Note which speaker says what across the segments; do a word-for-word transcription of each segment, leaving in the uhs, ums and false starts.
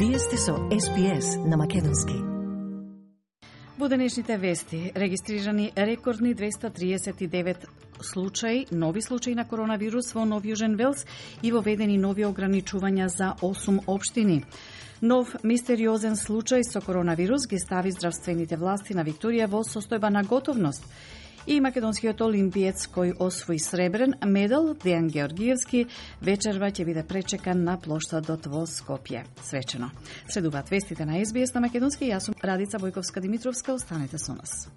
Speaker 1: Вие сте со Ес Би Ес на македонски.
Speaker 2: Во денешните вести регистрирани рекордни двеста триесет и девет случаи, нови случаи на коронавирус во Нов Јужен Велс и воведени нови ограничувања за осум општини. Нов мистериозен случај со коронавирус ги стави здравствените власти на Викторија во состојба на готовност. И македонскиот олимпиец кој освои сребрен медал, Дејан Георгиевски, вечерва ќе биде пречекан на плоштадот во Скопје. Свечено. Следуваат вестите на Ес Би Ес на македонски. Јас сум Радица Бојковска-Димитровска. Останете со нас.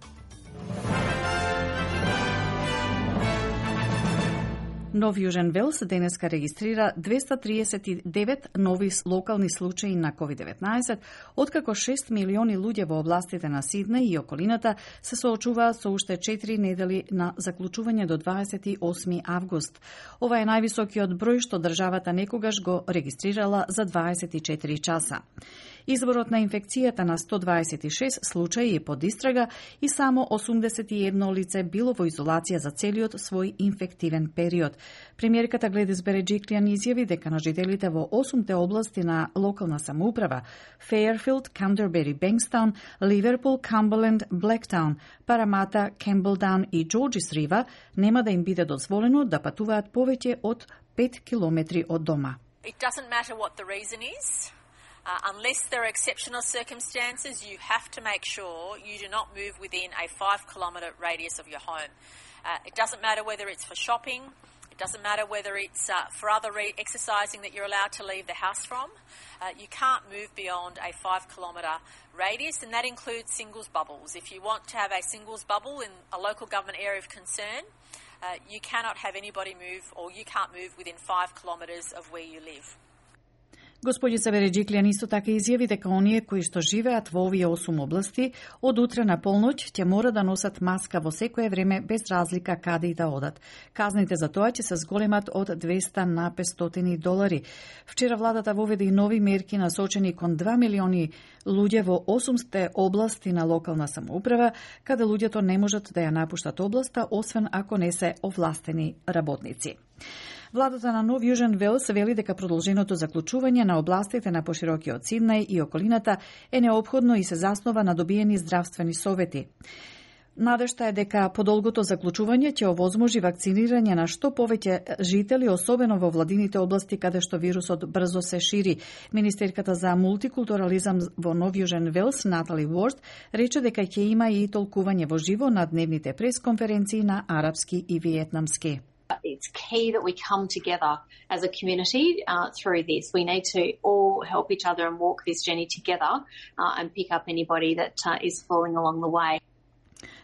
Speaker 2: Нов Јужен Велс денеска регистрира двеста триесет и девет нови локални случаи на ковид деветнаесет, откако шест милиони луѓе во областите на Сиднеј и околината се соочуваат со уште четири недели на заклучување до дваесет и осми август. Ова е највисокиот број што државата некогаш го регистрирала за дваесет и четири часа. Изворот на инфекцијата на сто дваесет и шест случаи е под истрага и само осумдесет и едно лице било во изолација за целиот свој инфективен период. Премиерката Гледис Береджиклијан изјави дека на жителите во осумте области на локална самоуправа Фејерфилд, Кандербери, Бенкстаун, Ливерпул, Камберленд, Блектаун, Парамата, Кемблдаун и Џорџис Рива нема да им биде дозволено да патуваат повеќе од пет километри од дома.
Speaker 3: It doesn't matter what the reason is. Uh, unless there are exceptional circumstances, you have to make sure you do not move within a five kilometre radius of your home. Uh, it doesn't matter whether it's for shopping, it doesn't matter whether it's uh, for other re- exercising that you're allowed to leave the house from. Uh, you can't move beyond a five kilometre radius, and that includes singles bubbles. If you want to have a singles bubble in a local government area of concern, uh, you cannot have anybody move, or you can't move within five kilometres of where you live.
Speaker 2: Господица Береджиклијан исто така изјави дека оние кои што живеат во овие осум области од утре на полноќ ќе мора да носат маска во секое време без разлика каде и да одат. Казните за тоа ќе се зголемат од двеста на петстотини долари. Вчера владата воведе и нови мерки насочени кон два милиони луѓе во осумте области на локална самоуправа, каде луѓето не можат да ја напуштат областа, освен ако не се овластени работници. Владата на Нов Јужен Велс вели дека продолженото заклучување на областите на поширокиот Сиднеј и околината е неопходно и се заснова на добиени здравствени совети. Надежта е дека подолгото заклучување ќе овозможи вакцинирање на што повеќе жители, особено во владините области каде што вирусот брзо се шири. Министерката за мултикултурализам во Нов Јужен Велс, Натали Уорд, рече дека ќе има и толкување во живо на дневните пресконференции на арапски и виетнамски.
Speaker 4: It's key that we come together as a community uh, through this. We need to all help each other and walk this journey together uh, and pick up anybody that uh, is falling along the way.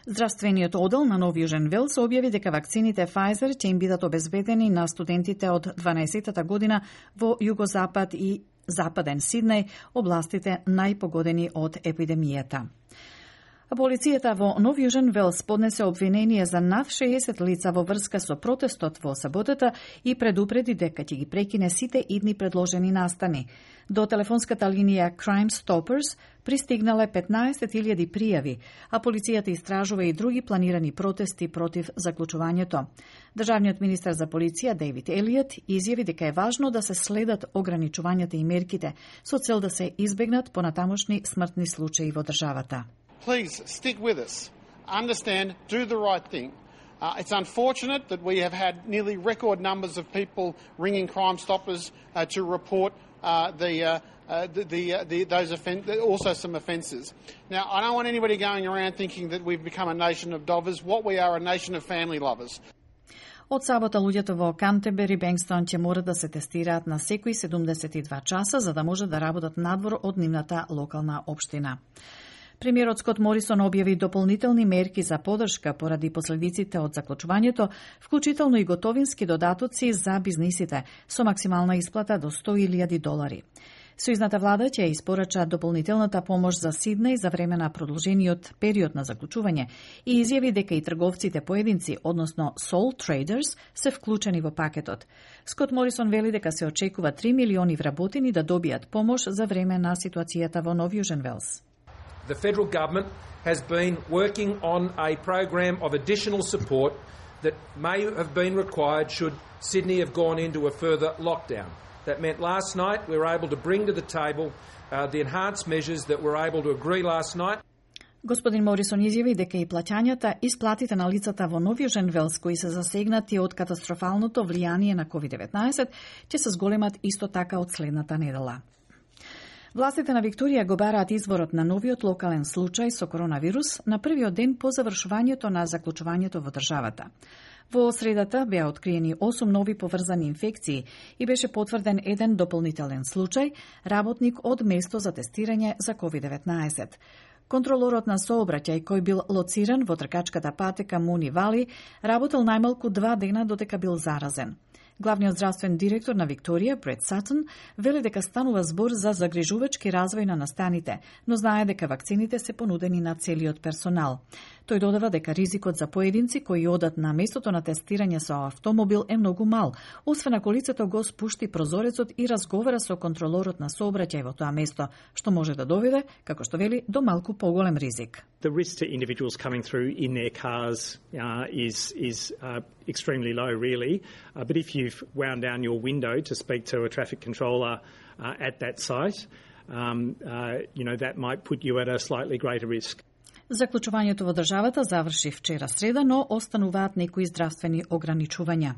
Speaker 2: Здравствениот одел на Нов Јужен Велс објави дека вакцините Pfizer ќе им бидат обезбедени на студентите од дванаесеттата година во југозапад и западен Сиднеј, областите најпогодени од епидемијата. Полицијата во Нов Јужен Велс поднесе обвинение за над шеесет лица во врска со протестот во саботата и предупреди дека ќе ги прекине сите идни предложени настани. До телефонската линија Crime Stoppers пристигнале петнаесет илјади пријави, а полицијата истражува и други планирани протести против заклучувањето. Државниот министар за полиција Дейвид Елиот изјави дека е важно да се следат ограничувањата и мерките со цел да се избегнат понатамошни смртни случаи во државата.
Speaker 5: Please stick with us. Understand, do the right thing. Uh, it's unfortunate that we have had nearly record numbers of people ringing Crime Stoppers uh, to report uh, the, uh, uh, the, the, uh, the those offen- also some offences. Now, I don't want anybody going around thinking that we've become a nation of dovers. What we are, a nation of family lovers.
Speaker 2: Од сабота луѓето во Кантебери, Бенкстаун ќе мора да се тестираат на секои седумдесет и два часа за да може да работат надвор од нивната локална општина. Премиерот Скот Морисон објави дополнителни мерки за подршка поради последиците од заклучувањето, вклучително и готовински додатоци за бизнисите со максимална исплата до сто илјади долари. Сојузната влада ќе испорача дополнителната помош за Сиднеј за време на продолжениот период на заклучување и изјави дека и трговците поединци, односно sole traders, се вклучени во пакетот. Скот Морисон вели дека се очекува три милиони вработени да добијат помош за време на ситуацијата во Нов Јужен Велс.
Speaker 6: The federal government has been working on a program of additional support that may have been required should Sydney have gone into a further lockdown. That meant last night we were able to bring to the table uh, the enhanced measures that we were able to agree last night.
Speaker 2: Господин Морисон изјави дека и плаќањата и сплатите на лицата во Нови Женвелс кои се засегнати од катастрофалното влијание на ковид деветнаесет ќе се зголемат исто така од следната недела. Властите на Викторија го бараат изворот на новиот локален случај со коронавирус на првиот ден по завршувањето на заклучувањето во државата. Во средата беа откриени осум нови поврзани инфекции и беше потврден еден дополнителен случај, работник од место за тестирање за ковид деветнаесет. Контролорот на сообраќај кој бил лоциран во тркачката патека Муни Вали работел најмалку два дена додека бил заразен. Главниот здравствен директор на Викторија, Брет Сатон, вели дека станува збор за загрижувачки развој на настаните, но знае дека вакцините се понудени на целиот персонал. Тој додава дека ризикот за поединци кои одат на местото на тестирање со автомобил е многу мал, освен ако лицето го спушти прозорецот и разговара со контролорот на сообраќај во тоа место, што може да доведе, како што вели, до малку поголем ризик.
Speaker 7: The risk to individuals coming through in their cars uh, is is uh, extremely low, really. Uh, but if you've wound down your window to speak to a traffic controller uh, at that site, um, uh, you know, that might put you at a slightly greater risk.
Speaker 2: Заклучувањето во државата заврши вчера среда, но остануваат некои здравствени ограничувања.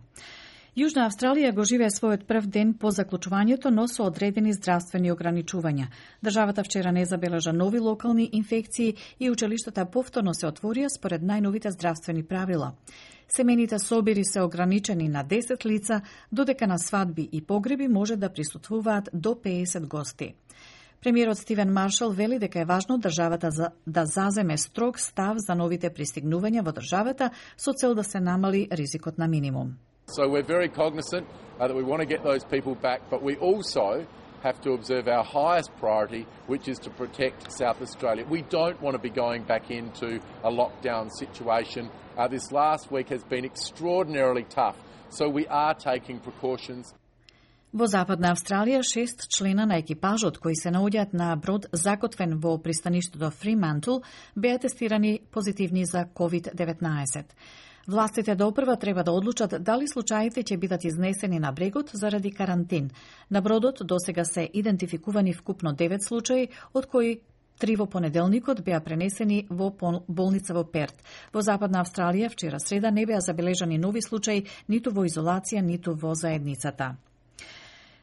Speaker 2: Јужна Австралија го живее својот прв ден по заклучувањето, но со одредени здравствени ограничувања. Државата вчера не забележа нови локални инфекции и училиштата повторно се отворија според најновите здравствени правила. Семените собири се ограничени на десет лица, додека на свадби и погреби може да присуствуваат до пеесет гости. Премиерот Стивен Маршал вели дека е важно државата за, да заземе строг став за новите пристигнувања во државата со цел да се намали ризикот на минимум.
Speaker 8: So we're very cognizant uh, that we want to get those people back, but we also have to observe our highest priority, which is to protect South Australia. We don't want to be going back into a lockdown situation. Uh, this last week has been extraordinarily tough, so we are taking precautions.
Speaker 2: Во Западна Австралија, шест члена на екипажот кои се наоѓаат на брод закотвен во пристаништето Фримантл беа тестирани позитивни за ковид деветнаесет. Властите допрва треба да одлучат дали случаите ќе бидат изнесени на брегот заради карантин. На бродот досега се идентификувани вкупно девет случаи, од кои три во понеделникот беа пренесени во болница во Перт. Во Западна Австралија вчера среда не беа забележани нови случаи ниту во изолација, ниту во заедницата.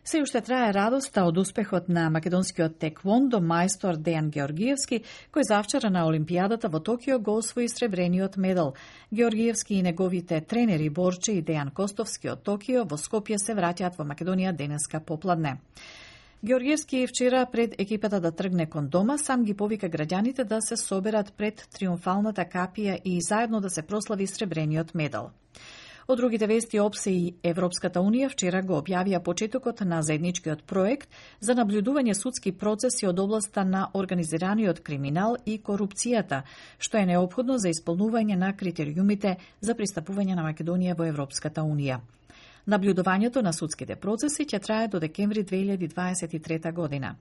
Speaker 2: Се уште трае радоста од успехот на македонскиот теквондо мајстор Дејан Георгиевски, кој завчера на Олимпијадата во Токио го освои сребрениот медал. Георгиевски и неговите тренери Борче и Дејан Костовски од Токио во Скопје се враќаат во Македонија денеска попладне. Георгиевски вчера пред екипата да тргне кон дома, сам ги повика граѓаните да се соберат пред триумфалната капија и заедно да се прослави сребрениот медал. Од другите вести, ОПСЕ и Европската Унија вчера го објавија почетокот на заедничкиот проект за наблюдување судски процеси од областа на организираниот криминал и корупцијата, што е неопходно за исполнување на критериумите за пристапување на Македонија во Европската Унија. Наблюдувањето на судските процеси ќе трае до декември две илјади дваесет и трета година.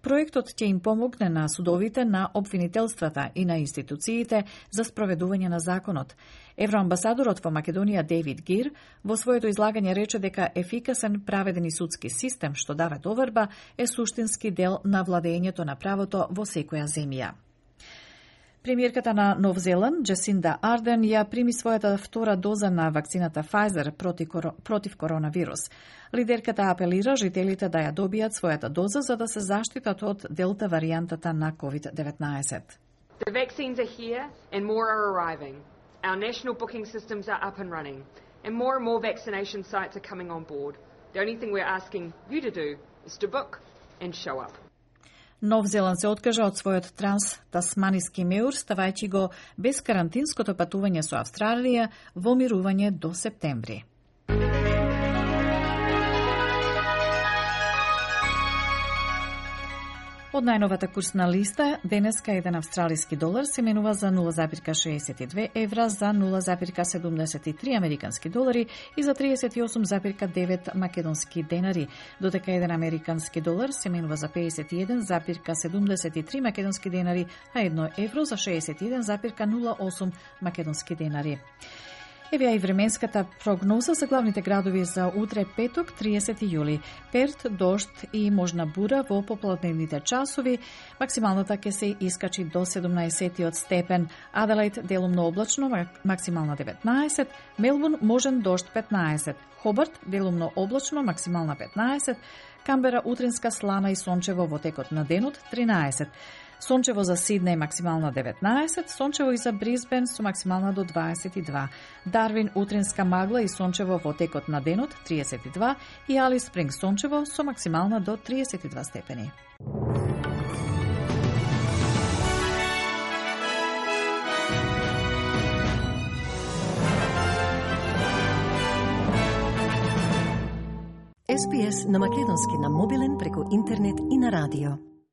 Speaker 2: Проектот ќе им помогне на судовите, на обвинителствата и на институциите за спроведување на законот. Евроамбасадорот во Македонија Дейвид Гир во своето излагање рече дека ефикасен праведен и судски систем што дава доверба е суштински дел на владењето на правото во секоја земја. Премиерката на Нов Зеланд, Джесинда Арден, ја прими својата втора доза на вакцината Pfizer против, против коронавирус. Лидерката апелира жителите да ја добијат својата доза за да се заштитат од делта варијантата на ковид деветнаесет.
Speaker 9: The vaccines are here and more are arriving. Our national booking systems are up and running and more and more vaccination sites are coming on board. The only thing we're asking you to do is to book and show up.
Speaker 2: Нов Зеланд се откажа од својот транс-тасманиски меур, ставајќи го без карантинското патување со Австралија во мирување до септември. Од најновата курсна листа, денеска еден австралиски долар се менува за нула зарез шеесет и две евра, за нула зарез седумдесет и три американски долари и за триесет и осум зарез девет македонски денари, додека еден американски долар се менува за пеесет и еден зарез седумдесет и три македонски денари, а едно евро за шеесет и еден зарез нула осум македонски денари. Еве и временската прогноза за главните градови за утре петок, триесети јули. Перт, дожд и можна бура во попладневните часови. Максималната ќе се искачи до седумнаесет степен. Аделаид делумно облачно, максимална деветнаесет. Мелбурн можен дожд петнаесет. Хобарт делумно облачно, максимална петнаесет. Камбера утринска слана и сончево во текот на денот тринаесет. Сончево за Сиднеј максимална деветнаесет, сончево и за Брисбен со максимална до дваесет и два. Дарвин утринска магла и сончево во текот на денот триесет и два и Алис Спринг сончево со максимална до триесет и два степени.
Speaker 1: Ес Би Ес на македонски на мобилен преку интернет и на радио.